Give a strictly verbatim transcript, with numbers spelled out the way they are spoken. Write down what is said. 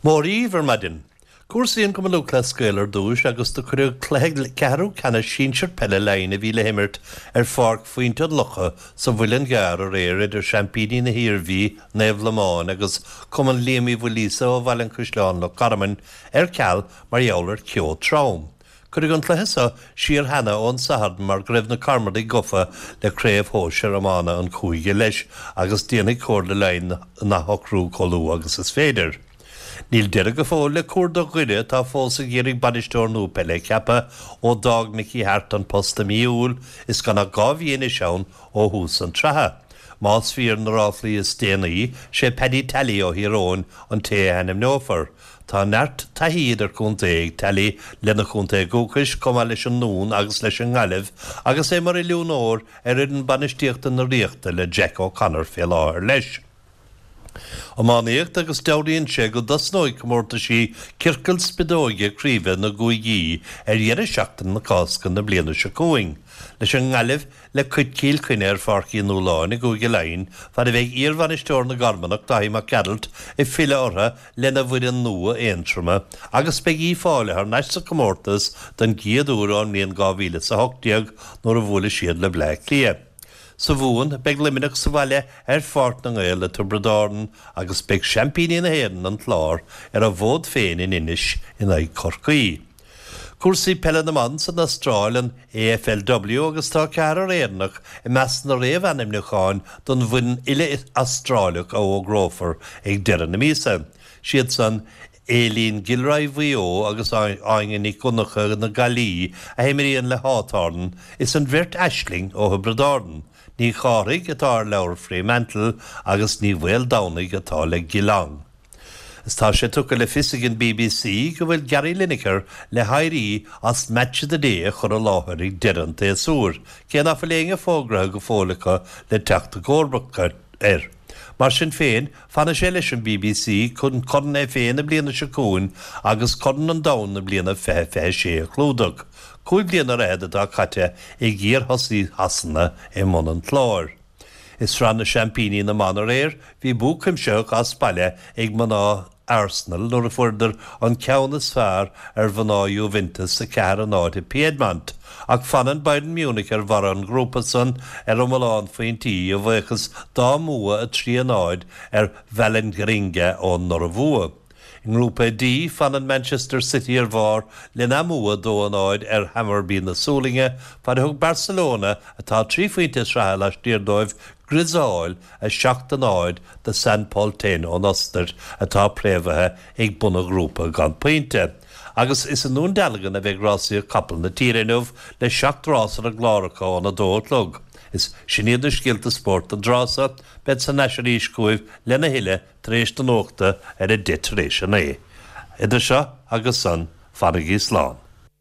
Mór ar maidin. Cúrsaí an Chumann Lúthchleas Gael ar dtús agus do cuireadh cluiche ceathrú ceannais sinsir peile Laighean a bhí le himirt ar Pháirc Phointe an Locha sa Mhuileann gCearr aréir idir seaimpíní na hIarmhí, Naomh Lomáin agus Cumann Liam Uí Mhaoilíosa ó Bhaile an Chaisleáin Loch Garman ar ceal mar gheall ar cheo trom. Cuireadh an cluiche seo siar cheana ón Satharn mar go raibh na Carmadaigh gafa le craobh shóisir iomána an chúige leis agus déanfaidh Comhairle Laighean an athshocrú chomh luath agus is féidir. Níl deireadh go fóill le cuardach Dhoire atá fós ag iarraidh bainisteoir nua peile a cheapadh ó d'fhág Mickey Harte an post i mí Iúil is gan ach dhá mhí anois ann ó thús an tsraithe. Más fíor na ráflaí is déanaí sé Paddy Tally ó Thír Eoghain an té a ainmneofar. Tá neart taithí idirchontae ag Tally lena chontae dúchais chomh maith leis an nDún agus leis an nGaillimh agus é mar oiliúnóir ar fhoireann bainistíochta na Ríochta le Jack O'Connor fé láthair leis. Iománaíocht agus dealraíonn sé go dtosnóidh comórtaisí ciorcal spideoige craoibhe na gcúigí ar dheireadh seachtaine na Cásca na bliana seo chugainn. Leis an nGaillimh le coit Chill Chainnigh ar Pháirc Uí Nualláin i gCúige Laighean, fad a bheidh iarbhainisteoir na gCarmanach Daithí Mac Gearailt ag filleadh orthu lena bhfoireann nua Aontroma agus beidh Uíbh Fhailí thar n-ais sa chomórtas don gcéad uair ón mbliain dhá mhíle is a hocht déag nuair a bhuailfidh siad le Bleá Cliath. Sa Mhumhain, beidh Luimneach sa bhaile ar Pháirc na nGael le Tiobraid Árann agus beidh seaimpíní na hÉireann, an Clár, ar a bhfód féin in Inis in aghaidh Chorcaí. Cúrsaí peile na mban san Astráil, an AFLW, agus tá ceathrar Éireannach i measc na réamhainmniúcháin don bhfoireann uile-Astráileach a fhógrófar ag deireadh na míosa. Siad san Aileen Gilroy Mhaigh Eo agus Áine Nic Dhonncha na Gaillimhe a imríonn le Hawthorn is an bheirt Aisling ó Thiobraid Árann, Ní Chárthaigh atá ar leabhar Fremantle agus Ní Mhaoldomhnaigh atá le Geelong. Is tá sé tugtha le fios ag an BBC go bhfuil Gary Lineker le héirí as Match of the Day a chur i láthair ag deireadh an tséasúir, cé nach bhfuil éinne fógraithe go fóill acu le teacht i gcomharbacht air. Mar sin féin, fanfaidh sé leis an BBC chun Corn FA na bliana seo chugainn agus Corn an Domhain na bliana fiche fiche sé a chlúdach. Cúig bliana ar fhichead atá caite ag iarthosaí Shasana i mbun an chláir. I Sraith na Seaimpíní na mBan aréir, bhí bua cuimsitheach as baile ag mná Arsenal nuair a fuaireadar an ceann is fearr ar mhná Juventus a ceathair a náid i Piedmont. Ach fanann Bayern Munich ar bharr an ghrúpa san ar iomlán phointí a bhuíochas dá mbua a trí a náid ar Vålerenga ón Ioruaidh. I ngrúpa D fanann Manchester City ar bharr lena mbua dó a náid ar Hammarby na Sualainne, fad a thug Barcelona atá trí phointe sraithe laistiar dóibh griosáil a seacht a náid do San Pölten ón Ostair atá préamhaithe ag bun an ghrúpa gan pointe. Agus is i nDún Dealgan a bheidh rásaíocht capall na tíre inniu le seacht rás ar an gclár acu óna dó a chlog. Is sin iad na scéalta spóirt don dtráth seo, bead san ais arís chugaibh lena thuilleadh tar éis na nuachta ar a deich tar éis a naoi. Idir seo agus san, fanaigí slán.